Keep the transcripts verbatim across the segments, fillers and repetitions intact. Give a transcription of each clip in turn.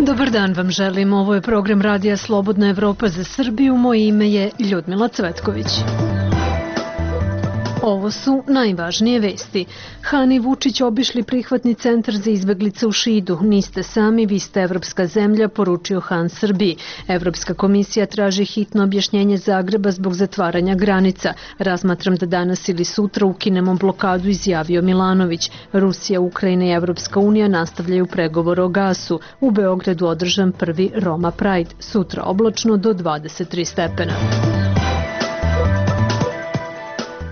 Dobar dan vam želim, ovo je program Radija Slobodna Evropa za Srbiju, moje ime je Ljudmila Cvetković. Ovo su najvažnije vesti. Han i Vučić obišli prihvatni centar za izbeglice u Šidu. Niste sami, vi ste evropska zemlja, poručio Han Srbiji. Evropska komisija traži hitno objašnjenje Zagreba zbog zatvaranja granica. Razmatram da danas ili sutra ukinemo blokadu, izjavio Milanović. Rusija, Ukrajina i Evropska unija nastavljaju pregovor o gasu. U Beogradu održan prvi Roma Pride. Sutra oblačno do dvadeset tri stepena.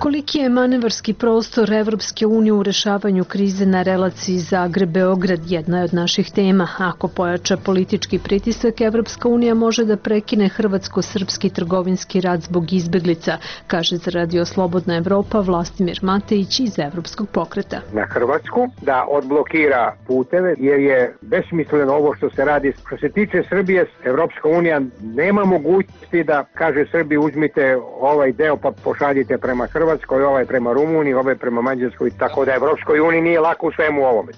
Koliki je manevarski prostor Evropske unije u rešavanju krize na relaciji Zagreb-Beograd jedna je od naših tema. Ako pojača politički pritisak, Evropska unija može da prekine hrvatsko-srpski trgovinski rat zbog izbeglica, kaže za Radio Slobodna Evropa Vlastimir Matejić iz Evropskog pokreta. Na Hrvatsku da odblokira puteve jer je besmisleno ovo što se radi. Što se tiče Srbije, Evropska unija nema mogućnosti da kaže Srbiji uzmite ovaj deo pa pošaljite prema Hrvatskoj. Hrvatskoj, ovaj prema Rumuniji, ovaj prema Mađarskoj, tako da Evropskoj uniji nije lako u svemu ovome.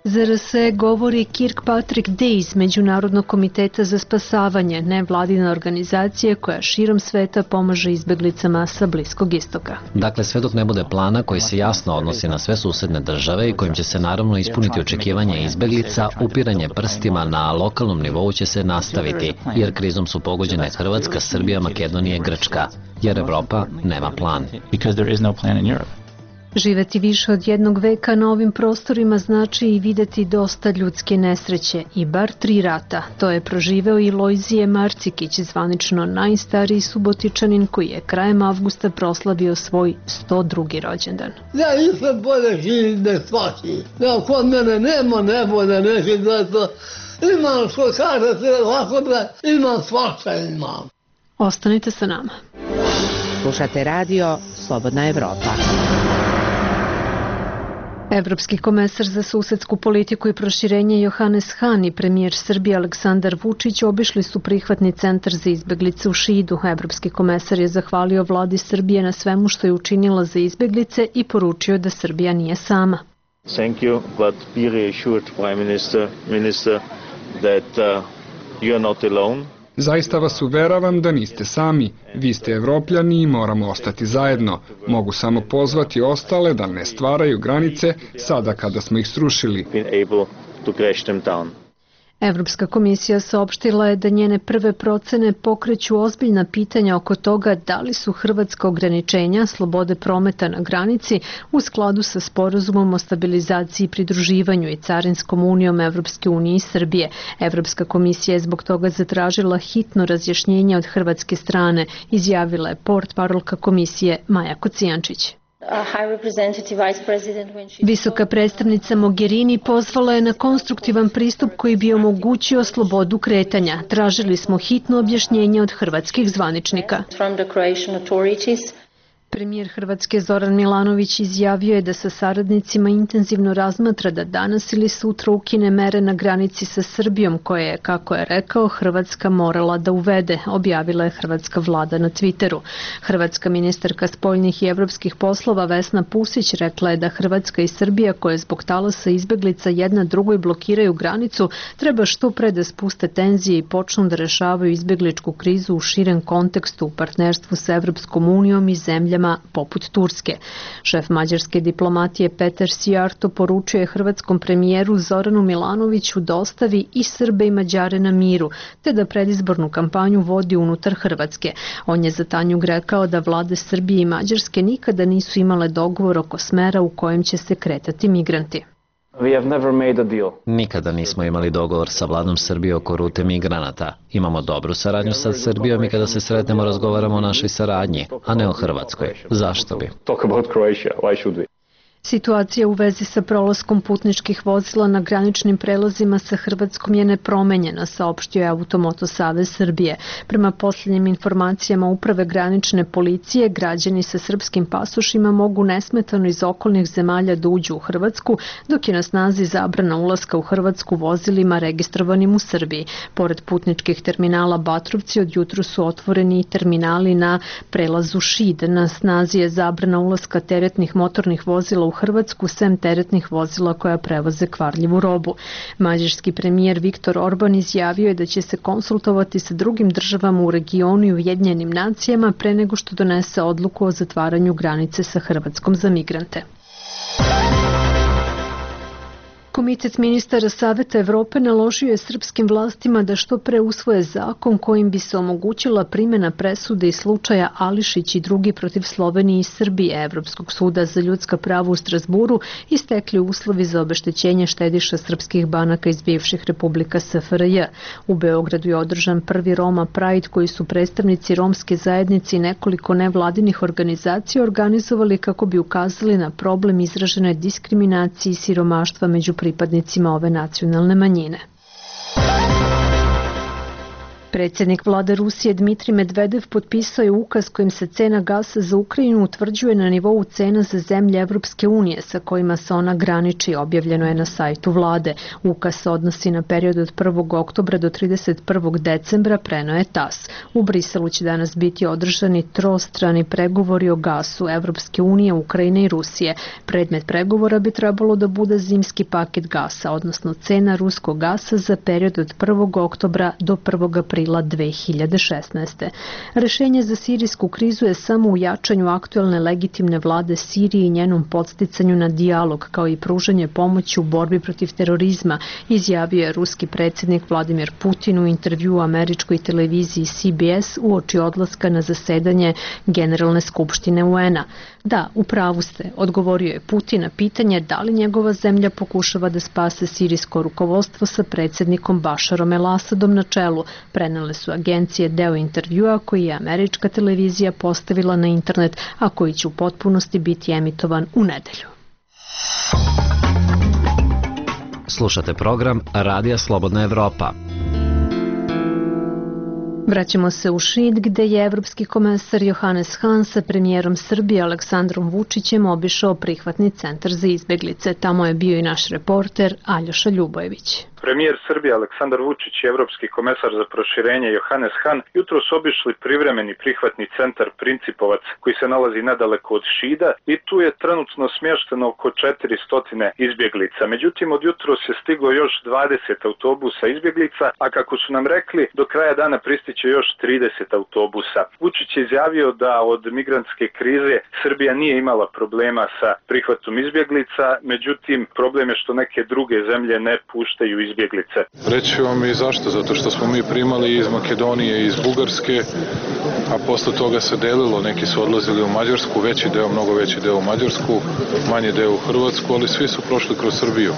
Za R S E govori Kirkpatrick Day, Međunarodnog komiteta za spasavanje, nevladina organizacija koja širom sveta pomaže izbeglicama sa Bliskog istoka. Dakle, sve dok ne bude plana koji se jasno odnosi na sve susedne države i kojim će se naravno ispuniti očekivanja izbeglica, upiranje prstima na lokalnom nivou će se nastaviti, jer krizom su pogođene Hrvatska, Srbija, Makedonija i Grčka, jer Evropa nema plan. Živeti više od jednog veka na ovim prostorima znači i videti dosta ljudske nesreće i bar tri rata. To je proživeo i Lojzije Marcikić, zvanično najstariji Subotičanin koji je krajem avgusta proslavio svoj sto drugi rođendan. Ja nisam bolje živim da svaki. Ja kod mene nema nebolje, neće da to imam što kažete, ovako da imam svašta imam. Ostanite sa nama. Slušate radio Slobodna Evropa. Evropski komesar za susedsku politiku i proširenje Johannes Hahn i premijer Srbije Aleksandar Vučić obišli su prihvatni centar za izbeglice u Šidu. Evropski komesar je zahvalio vladi Srbije na svemu što je učinila za izbeglice i poručio da Srbija nije sama. Thank you, but be reassured, Prime Minister, Minister, that uh, you are not alone. Zaista vas uveravam da niste sami. Vi ste Evropljani i moramo ostati zajedno. Mogu samo pozvati ostale da ne stvaraju granice sada kada smo ih srušili. Evropska komisija saopštila je da njene prve procene pokreću ozbiljna pitanja oko toga da li su hrvatska ograničenja slobode prometa na granici u skladu sa sporazumom o stabilizaciji i pridruživanju i carinskom unijom Evropske unije i Srbije. Evropska komisija je zbog toga zatražila hitno razjašnjenje od hrvatske strane, izjavila je portparolka komisije Maja Kocijančić. Visoka predstavnica Mogherini pozvala je na konstruktivan pristup koji bi omogućio slobodu kretanja. Tražili smo hitno objašnjenje od hrvatskih zvaničnika. Premijer Hrvatske Zoran Milanović izjavio je da sa saradnicima intenzivno razmatra da danas ili sutra ukine mere na granici sa Srbijom koje je, kako je rekao, Hrvatska morala da uvede, objavila je hrvatska vlada na Twitteru. Hrvatska ministarka spoljnih i evropskih poslova Vesna Pusić rekla je da Hrvatska i Srbija koje zbog talasa izbeglica jedna drugoj blokiraju granicu treba što pre da spuste tenzije i počnu da rešavaju izbegličku krizu u širem kontekstu u partnerstvu sa Evropskom unijom i zemljama poput Turske. Šef mađarske diplomatije Petar Sijarto poručuje hrvatskom premijeru Zoranu Milanoviću da ostavi i Srbe i Mađare na miru, te da predizbornu kampanju vodi unutar Hrvatske. On je za Tanjug rekao da vlade Srbije i Mađarske nikada nisu imale dogovor oko smera u kojem će se kretati migranti. Nikada nismo imali dogovor sa vladom Srbije oko rute migranata. Imamo dobru saradnju sa Srbijom i kada se sretnemo razgovaramo o našoj saradnji, a ne o Hrvatskoj. Zašto bi? Situacija u vezi sa prolaskom putničkih vozila na graničnim prelazima sa Hrvatskom je nepromenjena, saopštio je Automoto Savez Srbije. Prema posljednjim informacijama Uprave granične policije, građani sa srpskim pasošima mogu nesmetano iz okolnih zemalja da uđu u Hrvatsku, dok je na snazi zabrana ulaska u Hrvatsku vozilima registrovanim u Srbiji. Pored putničkih terminala Batrovci, od jutru su otvoreni i terminali na prelazu Šid. Na snazi je zabrana ulaska teretnih motornih vozila u u Hrvatsku sem teretnih vozila koja prevoze kvarljivu robu. Mađarski premijer Viktor Orban izjavio je da će se konsultovati sa drugim državama u regionu i Ujedinjenim nacijama pre nego što donese odluku o zatvaranju granice sa Hrvatskom za migrante. Komitet ministara Saveta Evrope naložio je srpskim vlastima da što pre usvoje zakon kojim bi se omogućila primjena presude i slučaja Ališić i drugi protiv Slovenije i Srbije Evropskog suda za ljudska prava u Strasburu istekli uslovi za obeštećenje štediša srpskih banaka iz bivših republika S F R J. U Beogradu je održan prvi Roma Pride koji su predstavnici romske zajednice i nekoliko nevladinih organizacija organizovali kako bi ukazali na problem izražene diskriminacije i siromaštva među pripadnicima ove nacionalne manjine. Predsjednik vlade Rusije Dmitrij Medvedev potpisao je ukaz kojim se cena gasa za Ukrajinu utvrđuje na nivou cena za zemlje Evropske unije sa kojima se ona graniči, objavljeno je na sajtu vlade. Ukaz se odnosi na period od prvog oktobra do trideset prvog decembra, preneo je T A S. U Briselu će danas biti održani trostrani pregovori o gasu Evropske unije, Ukrajine i Rusije. Predmet pregovora bi trebalo da bude zimski paket gasa, odnosno cena ruskog gasa za period od prvog oktobra do prvog aprila dve hiljade šesnaeste. Rešenje za sirijsku krizu je samo u jačanju aktuelne legitimne vlade Sirije i njenom podsticanju na dijalog, kao i pružanje pomoći u borbi protiv terorizma, izjavio je ruski predsjednik Vladimir Putin u intervjuu američkoj televiziji C B S uoči odlaska na zasedanje Generalne skupštine U N-a. Da, u pravu ste, odgovorio je Putin na pitanje da li njegova zemlja pokušava da spase sirijsko rukovodstvo sa predsjednikom Bašarom el-Asadom na čelu. Prenele su agencije deo intervjua koji je američka televizija postavila na internet, a koji će u potpunosti biti emitovan u nedelju. Slušate program Radija Slobodna Evropa. Vraćamo se u Šid, gde je evropski komesar Johannes Hahn sa premijerom Srbije Aleksandrom Vučićem obišao prihvatni centar za izbeglice. Tamo je bio i naš reporter Aljoša Ljubojević. Premijer Srbije Aleksandar Vučić i evropski komesar za proširenje Johannes Hahn jutros obišli privremeni prihvatni centar Principovac koji se nalazi nedaleko od Šida i tu je trenutno smješteno oko četiristo izbjeglica. Međutim, od jutros je stiglo još dvadeset autobusa izbjeglica, a kako su nam rekli, do kraja dana pristiće još trideset autobusa. Vučić je izjavio da od migrantske krize Srbija nije imala problema sa prihvatom izbjeglica, međutim, problem je što neke druge zemlje ne puštaju izbjeglice. izbjeglice. Reći vam i zašto, zato što smo mi primali iz Makedonije i iz Bugarske, a posle toga se delilo, neki su odlazili u Mađarsku, veći deo, mnogo veći deo u Mađarsku, manji deo u Hrvatsku, ali svi su prošli kroz Srbiju.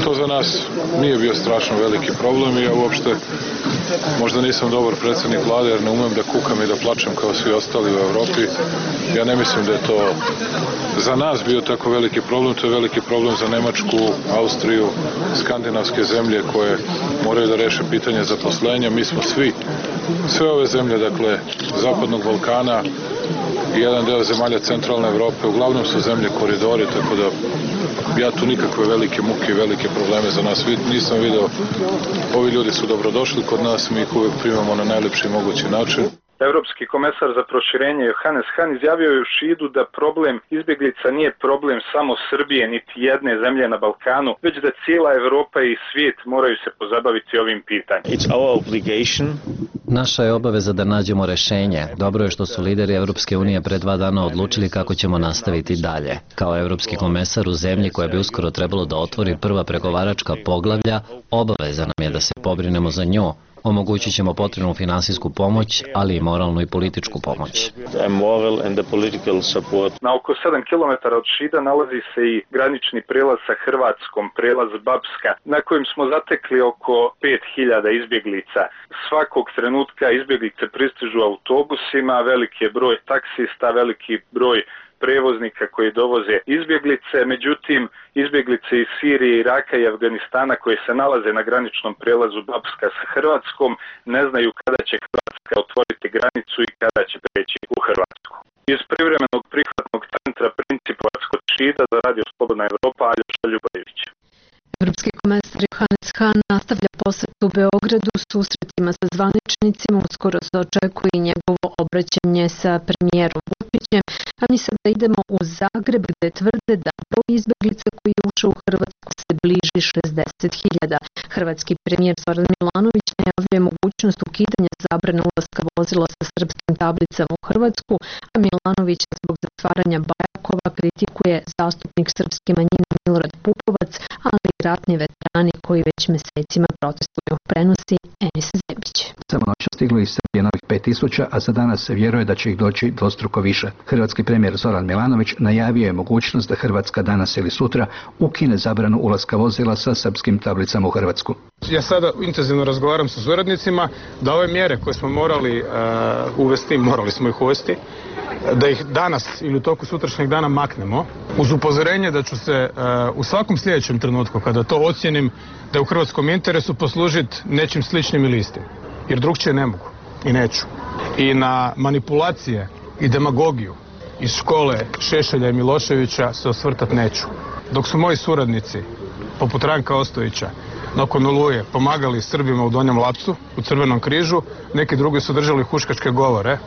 To za nas nije bio strašno veliki problem i ja uopšte možda nisam dobar predsjednik vlade jer ne umem da kukam i da plačem kao svi ostali u Evropi. Ja ne mislim da je to za nas bio tako veliki problem, to je veliki problem za Nemačku, Austriju, skandinavske zemlje koje moraju da reše pitanje zaposlenja. Mi smo svi, sve ove zemlje, dakle, Zapadnog Balkana i jedan deo zemalja centralne Evrope, uglavnom su zemlje koridori, tako da ja tu nikakve velike muke i velike probleme za nas nisam video. Ovi ljudi su dobrodošli kod nas, mi ih uvijek primamo na najlepši mogući način. Evropski komesar za proširenje Johannes Hahn izjavio je u Šidu da problem izbjeglica nije problem samo Srbije niti jedne zemlje na Balkanu, već da cijela Evropa i svijet moraju se pozabaviti ovim pitanjem. It's our obligation. Naša je obaveza da nađemo rešenje. Dobro je što su lideri Evropske unije pre dva dana odlučili kako ćemo nastaviti dalje. Kao evropski komesar u zemlji koja bi uskoro trebalo da otvori prva pregovaračka poglavlja, obaveza nam je da se pobrinemo za nju. Omogućit ćemo potrebnu finansijsku pomoć, ali i moralnu i političku pomoć. Na oko sedam kilometara od Šida nalazi se i granični prelaz sa Hrvatskom, prelaz Babska, na kojem smo zatekli oko pet hiljada izbjeglica. Svakog trenutka izbjeglice pristižu autobusima, veliki je broj taksista, veliki broj prevoznika koji dovoze izbjeglice, međutim izbjeglice iz Sirije, Iraka i Afganistana koje se nalaze na graničnom prelazu Babska sa Hrvatskom ne znaju kada će Hrvatska otvoriti granicu i kada će preći u Hrvatsku. Iz privremenog prihvatnog centra Principovac kod Šida za Radio Slobodna Evropa, Aljoša Ljubojević. Evropski komesar Johannes Hrvatska nastavlja posjet u Beogradu susretima sa zvaničnicima, uskoro se očekuje i njegovo obraćanje sa premijerom Vučićem, a mi sada idemo u Zagreb gde tvrde da broj izbeglica koji je ušao u Hrvatsku se bliži šezdeset hiljada. Hrvatski premijer Zoran Milanović najavljuje mogućnost ukidanja zabrane ulaska vozila sa srpskim tablicama u Hrvatsku, a Milanović zbog zatvaranja Bajakova kritikuje zastupnik srpske manjine Milorad Pupovac, ali i ratni veterani koji već mesecima protestuju. Prenosi Enis Zebić. Samo noć stiglo iz Srbije novih pet tisuća, a za danas se vjeruje da će ih doći dvostruko više. Hrvatski premijer Zoran Milanović najavio je mogućnost da Hrvatska danas ili sutra ukine zabranu ulaska vozila sa srpskim tablicama u Hrvatsku. Ja sada intenzivno razgovaram sa suradnicima da ove mjere koje smo morali uh, uvesti, morali smo ih uvesti, da ih danas ili u toku sutrašnjeg dana maknemo, uz upozorenje da ću se uh, u svakom sljedećem trenutku, kada to ocijenim da je u hrvatskom interesu, poslužiti nečim sličnim ili istim. Jer drugčije ne mogu i neću. I na manipulacije i demagogiju iz škole Šešelja i Miloševića se osvrtat neću. Dok su moji suradnici, poput Ranka Ostojića, nakon Oluje pomagali Srbima u Donjem Lapcu, u Crvenom križu, neki drugi su držali huškačke govore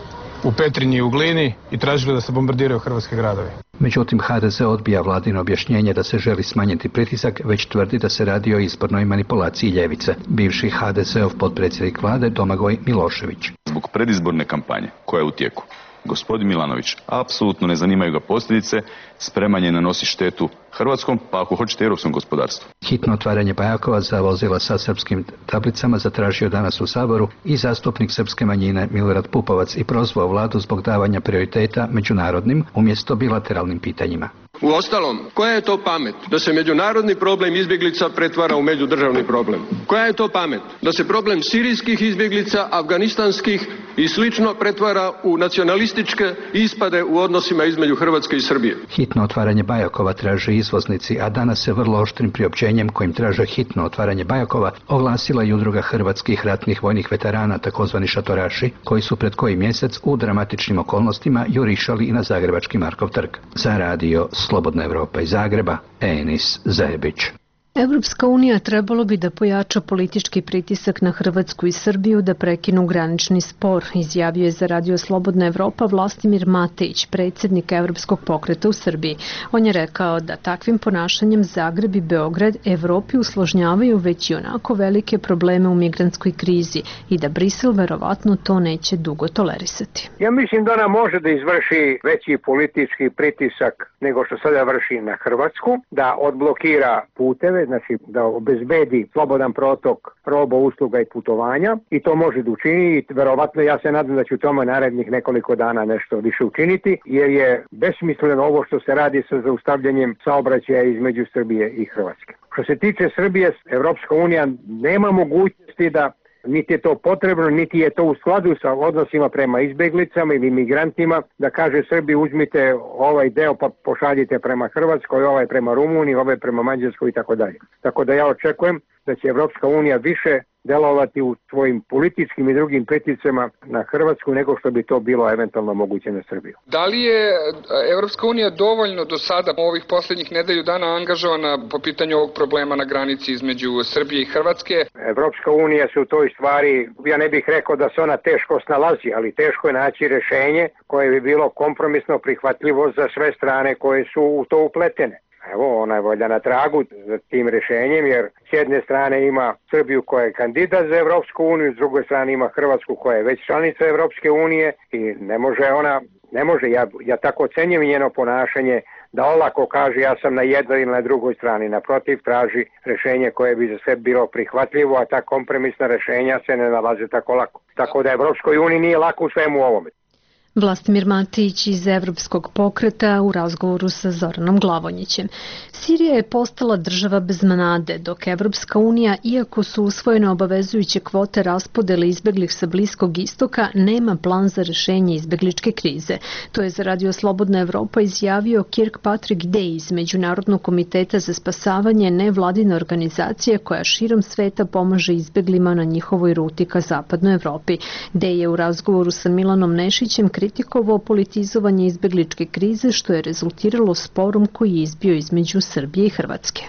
u Petrinji i u Glini i tražili da se bombardiraju hrvatski gradovi. Međutim, ha de ze odbija vladino objašnjenje da se želi smanjiti pritisak, već tvrdi da se radi o izbornoj manipulaciji ljevice. Bivši ha de zeov potpredsjednik vlade Domagoj Milošević. Zbog predizborne kampanje koja je u tijeku, gospodin Milanović apsolutno ne zanimaju ga posljedice, spreman je nanosi štetu hrvatskom, pa ako hoćete europskom gospodarstvu. Hitno otvaranje Bajakova za vozila sa srpskim tablicama zatražio danas u Saboru i zastupnik srpske manjine Milorad Pupovac i prozvao vladu zbog davanja prioriteta međunarodnim umjesto bilateralnim pitanjima. Uostalom, koja je to pamet da se međunarodni problem izbjeglica pretvara u međudržavni problem? Koja je to pamet da se problem sirijskih izbjeglica, afganistanskih i slično pretvara u nacionalističke ispade u odnosima između Hrvatske i Srbije? Hitno otvaranje Bajakova traže izvoznici, a danas se vrlo oštrim priopćenjem kojim traže hitno otvaranje Bajakova oglasila i udruga hrvatskih ratnih vojnih veterana, takozvani šatoraši, koji su pred koji mjesec u dramatičnim okolnostima jurišali i na zagrebački Markov trg. Za radio Slobodna Evropa iz Zagreba, Enis Zebić. Evropska unija trebalo bi da pojača politički pritisak na Hrvatsku i Srbiju da prekinu granični spor, izjavio je za radio Slobodna Evropa Vlastimir Matejić, predsjednik Evropskog pokreta u Srbiji. On je rekao da takvim ponašanjem Zagreb i Beograd Evropi usložnjavaju već i onako velike probleme u migrantskoj krizi i da Brisel verovatno to neće dugo tolerisati. Ja mislim da ona može da izvrši veći politički pritisak nego što sada vrši na Hrvatsku, da odblokira puteve, znači da obezbedi slobodan protok roba, usluga i putovanja, i to može da učini i verovatno ja se nadam da će u tome narednih nekoliko dana nešto više učiniti, jer je besmisleno ovo što se radi sa zaustavljanjem saobraćaja između Srbije i Hrvatske. Što se tiče Srbije, Evropska unija nema mogućnosti da, niti je to potrebno, niti je to u skladu sa odnosima prema izbeglicama ili migrantima, da kaže Srbiji uzmite ovaj deo pa pošaljite prema Hrvatskoj, ovaj prema Rumuniji, ovaj prema Mađarskoj i tako dalje. Tako da ja očekujem da će Evropska unija više delovati u svojim političkim i drugim pritiscima na Hrvatsku nego što bi to bilo eventualno moguće na Srbiju. Da li je Evropska unija dovoljno do sada ovih posljednjih nedelju dana angažovana po pitanju ovog problema na granici između Srbije i Hrvatske? Evropska unija se u toj stvari, ja ne bih rekao da se ona teško snalazi, ali teško je naći rješenje koje bi bilo kompromisno prihvatljivo za sve strane koje su u to upletene. Evo, ona je valjda na tragu za tim rješenjem, jer s jedne strane ima Srbiju koja je kandidat za Evropsku uniju, s druge strane ima Hrvatsku koja je već članica Evropske unije i ne može ona, ne može, ja, ja tako ocenjujem njeno ponašanje, da olako kaže ja sam na jednoj ili na drugoj strani. Naprotiv, traži rješenje koje bi za sve bilo prihvatljivo, a ta kompromisna rješenja se ne nalaze tako lako. Tako da Evropskoj uniji nije lako u svemu ovome. Vlastimir Matić iz Evropskog pokreta u razgovoru sa Zoranom Glavonjićem. Sirija je postala država bez nade, dok Evropska unija, iako su usvojene obavezujuće kvote raspodele izbeglih sa Bliskog istoka, nema plan za rješenje izbegličke krize. To je za radio Slobodna Evropa izjavio Kirkpatrick Day iz Međunarodnog komiteta za spasavanje, nevladine organizacije koja širom sveta pomaže izbeglima na njihovoj ruti ka zapadnoj Evropi. Day je u razgovoru sa Milanom Nešićem kritikovao kritikovao politizovanje izbegličke krize što je rezultiralo sporom koji je izbio između Srbije i Hrvatske.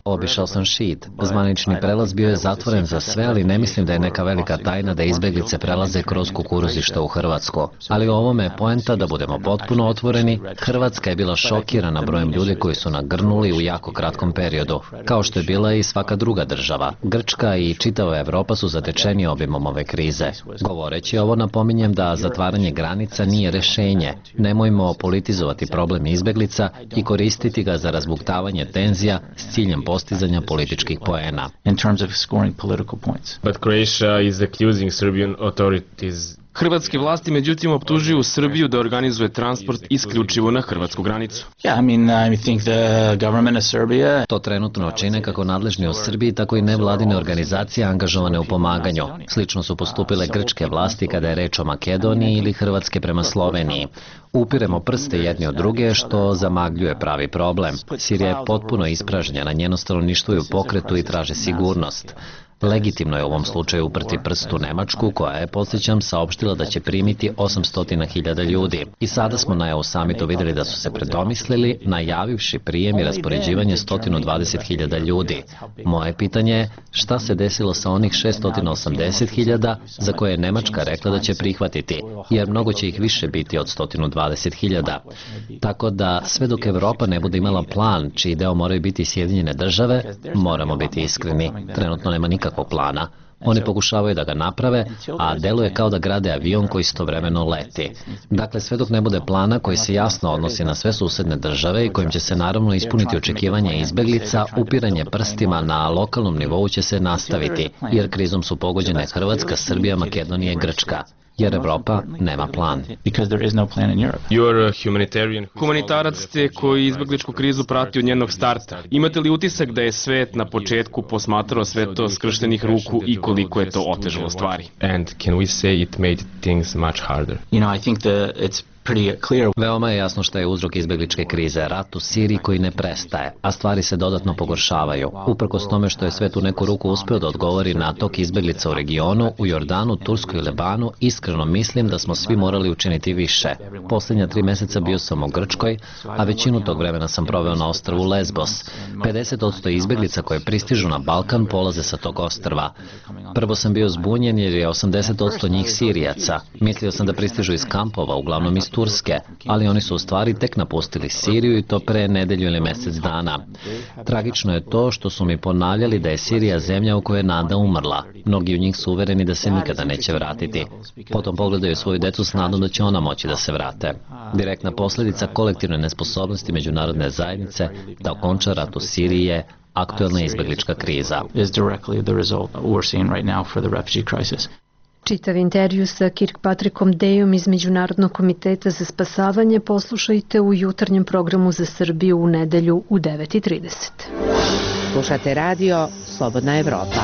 Obišao sam Šid. Zvanični prelaz bio je zatvoren za sve, ali ne mislim da je neka velika tajna da izbeglice prelaze kroz kukuruzišta u Hrvatsku. Ali u ovome je poenta da budemo potpuno otvoreni. Hrvatska je bila šokirana brojem ljudi koji su nagrnuli u jako kratkom periodu, kao što je bila i svaka druga država. Grčka i čitava Evropa su zatečeni obimom ove krize. Govoreći ovo, napominjem da zatvaranje granica nije rešenje. Nemojmo politizovati problem izbeglica i koristiti ga za razbuktavanje tenzija s ciljem postizanja političkih poena. But Croatia is accusing Serbian authorities. Hrvatske vlasti međutim optužuju Srbiju da organizuje transport isključivo na hrvatsku granicu. To trenutno čine kako nadležni u Srbiji, tako i nevladine organizacije angažovane u pomaganju. Slično su postupile grčke vlasti kada je reč o Makedoniji ili Hrvatske prema Sloveniji. Upiremo prste jedni od druge, što zamagljuje pravi problem. Sirija je potpuno ispražnjena, njeno stanovništvo je u pokretu i traže sigurnost. Legitimno je u ovom slučaju uprti prst u Nemačku, koja je, podsjećam, saopštila da će primiti osamsto hiljada ljudi. I sada smo na E U samitu vidjeli da su se predomislili, najavivši prijem i raspoređivanje sto dvadeset hiljada ljudi. Moje pitanje je šta se desilo sa onih šesto osamdeset hiljada za koje je Nemačka rekla da će prihvatiti, jer mnogo će ih više biti od sto dvadeset hiljada. Tako da sve dok Evropa ne bude imala plan, čiji deo moraju biti Sjedinjene države, moramo biti iskreni. Trenutno nema nikakvog plana. Oni pokušavaju da ga naprave, a deluje kao da grade avion koji istovremeno leti. Dakle, sve dok ne bude plana koji se jasno odnosi na sve susedne države i kojim će se naravno ispuniti očekivanja izbeglica, upiranje prstima na lokalnom nivou će se nastaviti, jer krizom su pogođene Hrvatska, Srbija, Makedonija i Grčka. Jer Evropa nema plan. Humanitarac ste koji izbegličku krizu prati od njenog starta. Imate li utisak da je svet na početku posmatrao sve to skrštenih ruku i koliko je to otežalo stvari? And can we say it made things much harder? You know, I think that it's Veoma je jasno šta je uzrok izbegličke krize, rat u Siriji koji ne prestaje, a stvari se dodatno pogoršavaju. Uprkos tome što je svet u neku ruku uspeo da odgovori na tok izbeglica u regionu, u Jordanu, Turskoj i Lebanu, iskreno mislim da smo svi morali učiniti više. Posljednja tri meseca bio sam u Grčkoj, a većinu tog vremena sam proveo na ostrvu Lesbos. pedeset posto izbeglica koje pristižu na Balkan polaze sa tog ostrva. Prvo sam bio zbunjen jer je osamdeset posto njih Sirijaca. Mislio sam da pristižu iz kampova, uglavnom iz Turske, ali oni su u stvari tek napustili Siriju i to pre nedelju ili mjesec dana. Tragično je to što su mi ponavljali da je Sirija zemlja u kojoj je nada umrla. Mnogi od njih su uvereni da se nikada neće vratiti. Potom pogledaju svoju decu s nadom da će ona moći da se vrate. Direktna posljedica kolektivne nesposobnosti međunarodne zajednice da okonča rat u Siriji je aktuelna izbeglička kriza. Čitav intervju sa Kirkpatrickom Dejom iz Međunarodnog komiteta za spasavanje poslušajte u jutarnjem programu za Srbiju u nedelju u devet i trideset. Slušate radio Slobodna Evropa.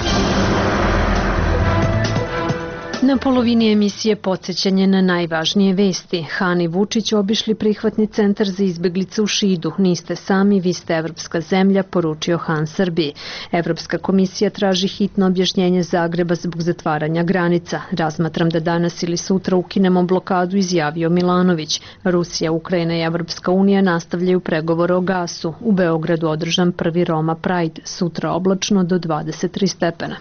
Na polovini emisije podsjećanje na najvažnije vesti. Han i Vučić obišli prihvatni centar za izbeglice u Šidu. Niste sami, vi ste evropska zemlja, poručio Han Srbiji. Evropska komisija traži hitno objašnjenje Zagreba zbog zatvaranja granica. Razmatram da danas ili sutra ukinemo blokadu, izjavio Milanović. Rusija, Ukrajina i Evropska unija nastavljaju pregovore o gasu. U Beogradu održan prvi Roma Pride, sutra oblačno do dvadeset tri stepena.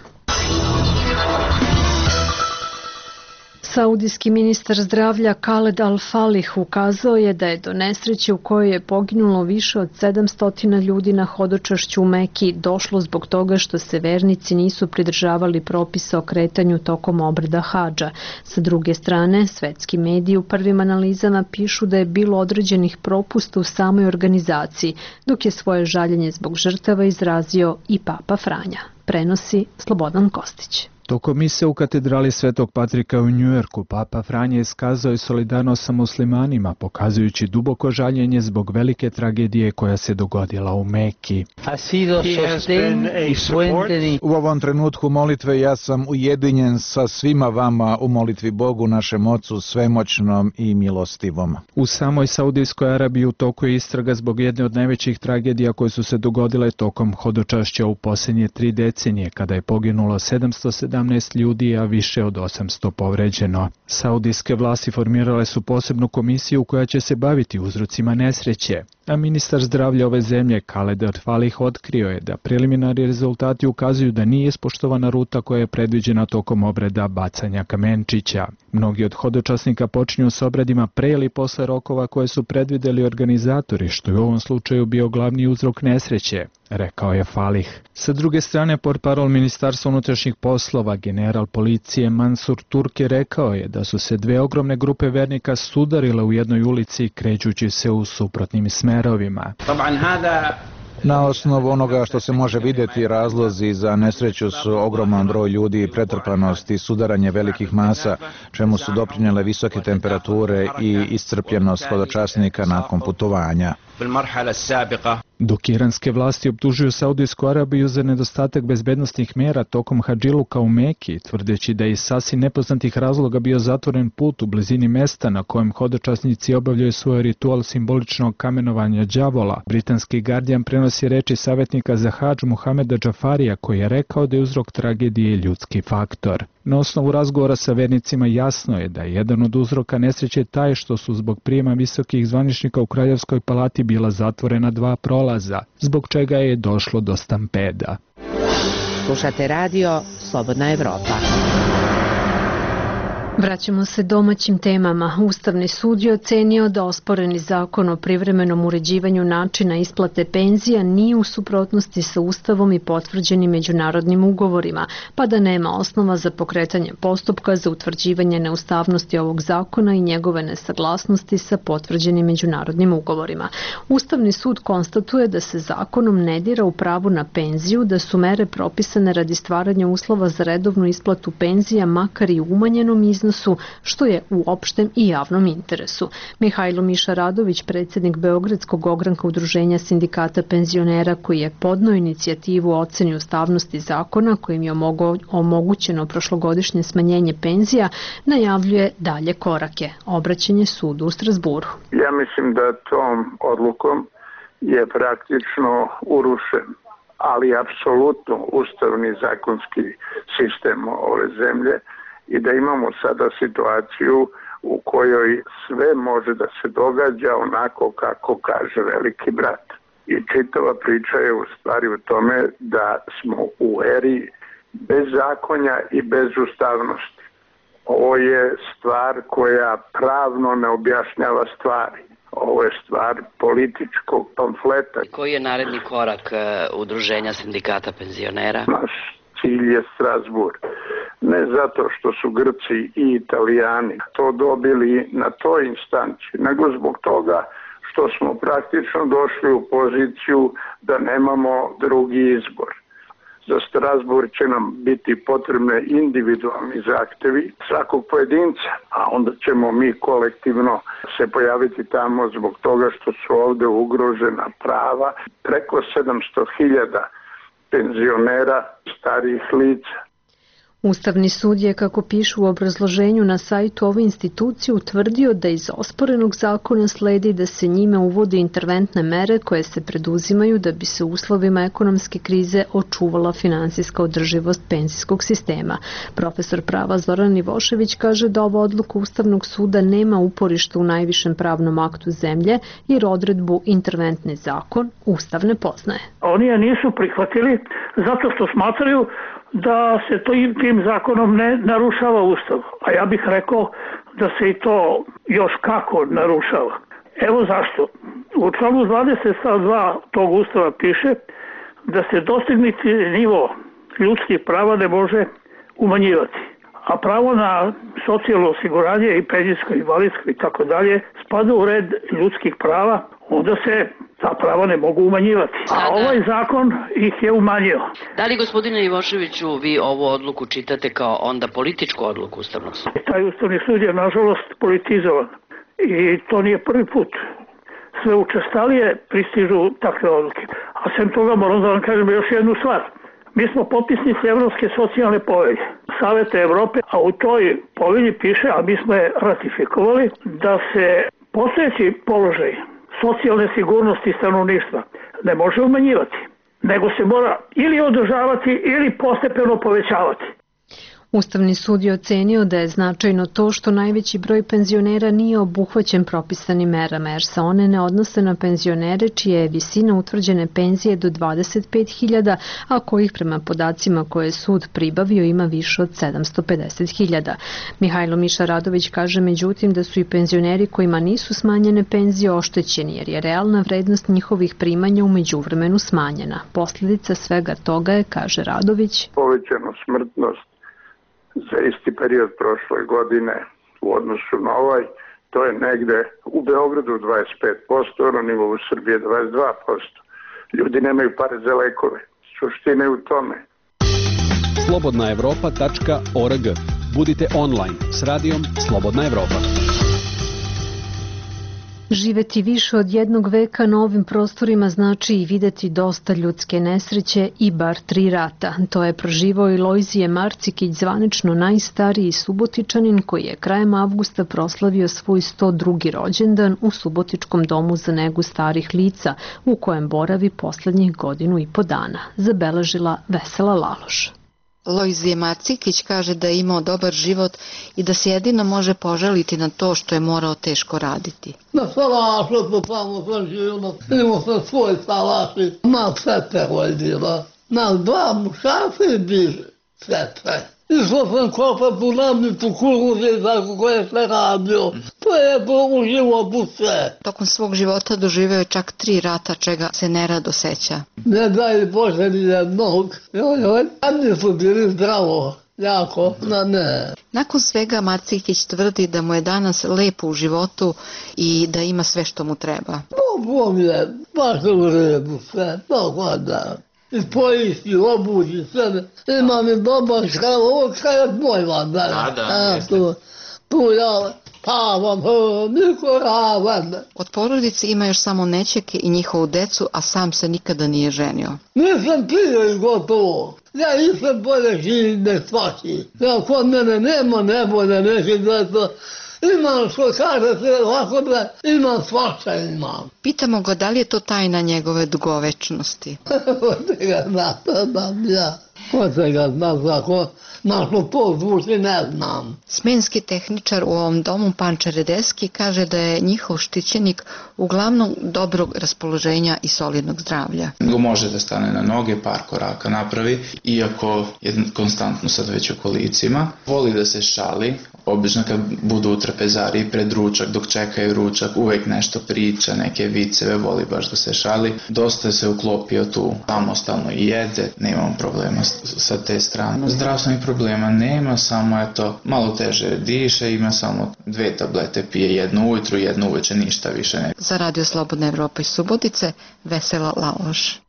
Saudijski ministar zdravlja Khaled Al-Falih ukazao je da je do nesreće u kojoj je poginulo više od sedamsto ljudi na hodočašću u Meki došlo zbog toga što se vernici nisu pridržavali propisa o kretanju tokom obreda hadža. Sa druge strane, svetski mediji u prvim analizama pišu da je bilo određenih propusta u samoj organizaciji, dok je svoje žaljenje zbog žrtava izrazio i Papa Franja. Prenosi Slobodan Kostić. Tokom mise u katedrali Svetog Patrika u Njujorku, Papa Franje iskazao je solidarnost sa muslimanima, pokazujući duboko žaljenje zbog velike tragedije koja se dogodila u Meki. U ovom trenutku molitve ja sam ujedinjen sa svima vama u molitvi Bogu, našem Ocu, svemoćnom i milostivom. U samoj Saudijskoj Arabiji u toku je istraga zbog jedne od najvećih tragedija koje su se dogodile tokom hodočašća u posljednje tri decenije, kada je poginulo sedamsto sedamnaest ljudi, a više od osamsto povređeno. Saudijske vlasti formirale su posebnu komisiju koja će se baviti uzrocima nesreće, a ministar zdravlja ove zemlje Khaled Al-Falih otkrio je da preliminarni rezultati ukazuju da nije ispoštovana ruta koja je predviđena tokom obreda bacanja kamenčića. Mnogi od hodočasnika počinju s obredima pre ili posle rokova koje su predvideli organizatori, što je u ovom slučaju bio glavni uzrok nesreće, rekao je Falih. Sa druge strane, portparol Ministarstva unutrašnjih poslova, general policije Mansur Turki rekao je da su se dve ogromne grupe vernika sudarile u jednoj ulici krećući se u suprotnim smerovima. Na osnovu onoga što se može vidjeti, razlozi za nesreću su ogroman broj ljudi i pretrpanost i sudaranje velikih masa, čemu su doprinjele visoke temperature i iscrpljenost hodočasnika nakon putovanja. Dok iranske vlasti optužuju Saudijsku Arabiju za nedostatak bezbednostnih mera tokom hadžiluka u Meki, tvrdeći da je iz sasvim nepoznatih razloga bio zatvoren put u blizini mesta na kojem hodočasnici obavljaju svoj ritual simboličnog kamenovanja đavola, britanski Guardian prenosi reči savjetnika za hadž Muhameda Džafarija, koji je rekao da je uzrok tragedije ljudski faktor. Na osnovu razgovora sa vernicima jasno je da je jedan od uzroka nesreće taj što su zbog prijema visokih zvaničnika u Kraljevskoj palati bila zatvorena dva prolaza, zbog čega je došlo do stampeda. Slušate radio Slobodna Evropa. Vraćamo se domaćim temama. Ustavni sud je ocenio da osporeni zakon o privremenom uređivanju načina isplate penzija nije u suprotnosti sa Ustavom i potvrđenim međunarodnim ugovorima, pa da nema osnova za pokretanje postupka za utvrđivanje neustavnosti ovog zakona i njegove nesaglasnosti sa potvrđenim međunarodnim ugovorima. Ustavni sud konstatuje da se zakonom ne dira u pravu na penziju, da su mere propisane radi stvaranja uslova za redovnu isplatu penzija, makar i umanjenom iznosu, što je u opštem i javnom interesu. Mihajlo Miša Radović, predsjednik Beogradskog ogranka Udruženja sindikata penzionera, koji je podneo inicijativu o oceni ustavnosti zakona kojim je omogućeno prošlogodišnje smanjenje penzija, najavljuje dalje korake. Obraćanje sudu u Strasburu. Ja mislim da tom odlukom je praktično urušen, ali apsolutno ustavni zakonski sistem ove zemlje, i da imamo sada situaciju u kojoj sve može da se događa onako kako kaže veliki brat. I čitava priča je u stvari u tome da smo u eri bez zakonja i bez ustavnosti. Ovo je stvar koja pravno ne objašnjava stvari. Ovo je stvar političkog pamfleta. Koji je naredni korak Udruženja sindikata penzionera? Naš cilj je Strasbur. Ne zato što su Grci i Italijani to dobili na toj instanci, nego zbog toga što smo praktično došli u poziciju da nemamo drugi izbor. Za Strasbur će nam biti potrebne individualni zahtevi svakog pojedinca, a onda ćemo mi kolektivno se pojaviti tamo zbog toga što su ovde ugrožena prava preko sedamsto hiljada penzionera, starijih lica. Ustavni sud je, kako pišu u obrazloženju na sajtu ove institucije, utvrdio da iz osporenog zakona sledi da se njime uvode interventne mere koje se preduzimaju da bi se u uslovima ekonomske krize očuvala finansijska održivost penzijskog sistema. Profesor prava Zoran Ivošević kaže da ova odluka Ustavnog suda nema uporište u najvišem pravnom aktu zemlje, jer odredbu interventni zakon Ustav ne poznaje. Oni je nisu prihvatili zato što smatraju da se to tim zakonom ne narušava Ustav. A ja bih rekao da se i to još kako narušava. Evo zašto. U članu dvadeset stav dva tog Ustava piše da se dostignuti nivo ljudskih prava ne može umanjivati. A pravo na socijalno osiguranje i penzijsko, invalidsko i tako dalje spada u red ljudskih prava, onda se ta prava ne mogu umanjivati. A ovaj zakon ih je umanjio. Da li, gospodine Ivoševiću, vi ovu odluku čitate kao onda političku odluku Ustavnog suda? Taj Ustavni sud je, nažalost, politizovan. I to nije prvi put. Sve učestalije pristižu takve odluke. A sem toga moram da vam kažem još jednu stvar. Mi smo potpisnici Evropske socijalne povelje, Saveta Evrope, a u toj povelji piše, a mi smo je ratifikovali, da se postojeći položaj socijalne sigurnosti stanovništva ne može umanjivati, nego se mora ili održavati ili postepeno povećavati. Ustavni sud je ocenio da je značajno to što najveći broj penzionera nije obuhvaćen propisanim merama, jer se one ne odnose na penzionere čija je visina utvrđene penzije do dvadeset pet hiljada, a kojih prema podacima koje je sud pribavio ima više od sedamsto pedeset hiljada. Mihajlo Miša Radović kaže međutim da su i penzioneri kojima nisu smanjene penzije oštećeni, jer je realna vrednost njihovih primanja u međuvremenu smanjena. Posljedica svega toga je, kaže Radović, povećana smrtnost za isti period prošle godine u odnosu na ovaj, to je negde u Beogradu dvadeset pet posto, na nivou Srbije dvadeset dva posto. Ljudi nemaju pare za lekove. Suština je u tome. slobodna evropa tačka org. Budite online s radijom Slobodna Evropa. Živeti više od jednog veka na ovim prostorima znači i videti dosta ljudske nesreće i bar tri rata. To je proživao i Lojzije Marcikić, zvanično najstariji Subotičanin koji je krajem avgusta proslavio svoj sto drugi rođendan u Subotičkom domu za negu starih lica, u kojem boravi poslednjih godinu i po dana, zabeležila Vesela Laloš. Lojzije Marcikić kaže da je imao dobar život i da se jedino može požaliti na to što je morao teško raditi. Na salašu to tamo sam živio, imao sam svoj salaši, na sete hodila, na dva mušaca i bliže sete. Išao sam kopat u namnicu kukuze tako koje se radio. To je to u životu sve. Tokom svog života doživeo je čak tri rata, čega se nerado seća. Ne daj Bože ni jednog. Joj, joj, jedni su bili zdravo. Jako, na ne. Nakon svega Marcikić tvrdi da mu je danas lepo u životu i da ima sve što mu treba. Bogom je, baš u redu sve, tako da. I poisti, obući, sve. Imam i dobar škaj, ovo škaj je moj van. Da, da, jeste. Tu ja pavam, niko ravan. Od porodice ima još samo nećake i njihovu decu, a sam se nikada nije ženio. Nisam pio i gotovo. Ja nisam bolje živim ne svaki. Ja kod mene nema nebode, neće da to... Imam što kaže se ovako da imam svašta imam. Pitamo ga da li je to tajna njegove dugovečnosti. Ko te ga zna, znam ja. Ko te ga zna, kako našlo to zvuči, ne znam. Smenski tehničar u ovom domu, Panča Redeski, kaže da je njihov štićenik uglavnom dobrog raspoloženja i solidnog zdravlja. Može da stane na noge, par koraka napravi, iako je konstantno sad već u kolicima. Voli da se šali, obično kad budu u trapezariji pred ručak, dok čekaju ručak, uvek nešto priča, neke viceve, voli baš da se šali. Dosta se uklopio tu, samostalno i jede, nemam problema sa te strane. Zdravstvenih problema nema, samo eto, malo teže diše, ima samo dve tablete, pije jednu ujutru, jednu uveče, ništa više ne. Za Radio Slobodna Evropa iz Subotice, Vesela Laloš.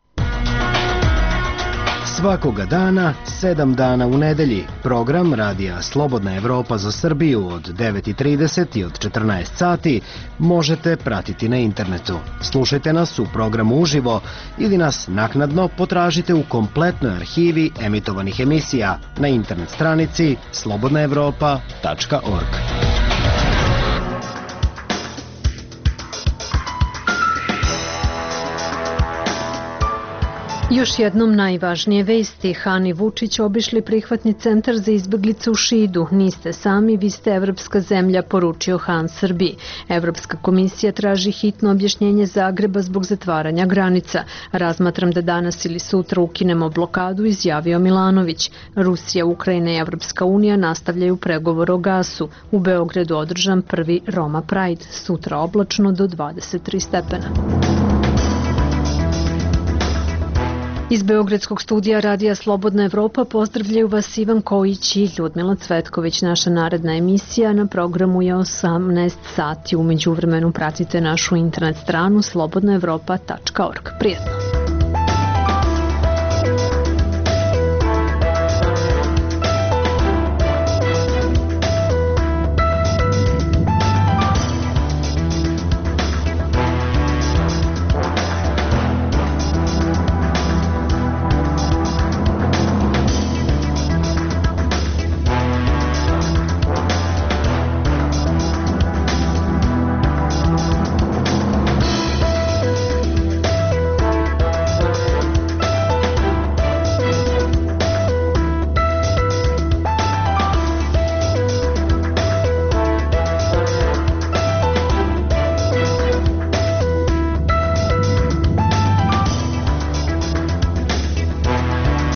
Svakoga dana, sedam dana u nedelji, program Radija Slobodna Evropa za Srbiju od devet i trideset i od četrnaest sati možete pratiti na internetu. Slušajte nas u programu uživo ili nas naknadno potražite u kompletnoj arhivi emitovanih emisija na internet stranici slobodna evropa tačka org. Još jednom najvažnije vesti. Han i Vučić obišli prihvatni centar za izbeglice u Šidu. Niste sami, vi ste evropska zemlja, poručio Han Srbiji. Evropska komisija traži hitno objašnjenje Zagreba zbog zatvaranja granica. Razmatram da danas ili sutra ukinemo blokadu, izjavio Milanović. Rusija, Ukrajina i Evropska unija nastavljaju pregovor o gasu. U Beogradu održan prvi Roma Pride. Sutra oblačno do dvadeset tri stepena. Iz Beogradskog studija Radija Slobodna Evropa pozdravljaju vas Ivan Kojić i Ljudmila Cvetković. Naša naredna emisija na programu je osamnaest sati. U međuvremenu pratite našu internet stranu slobodna evropa tačka org. Prijetno!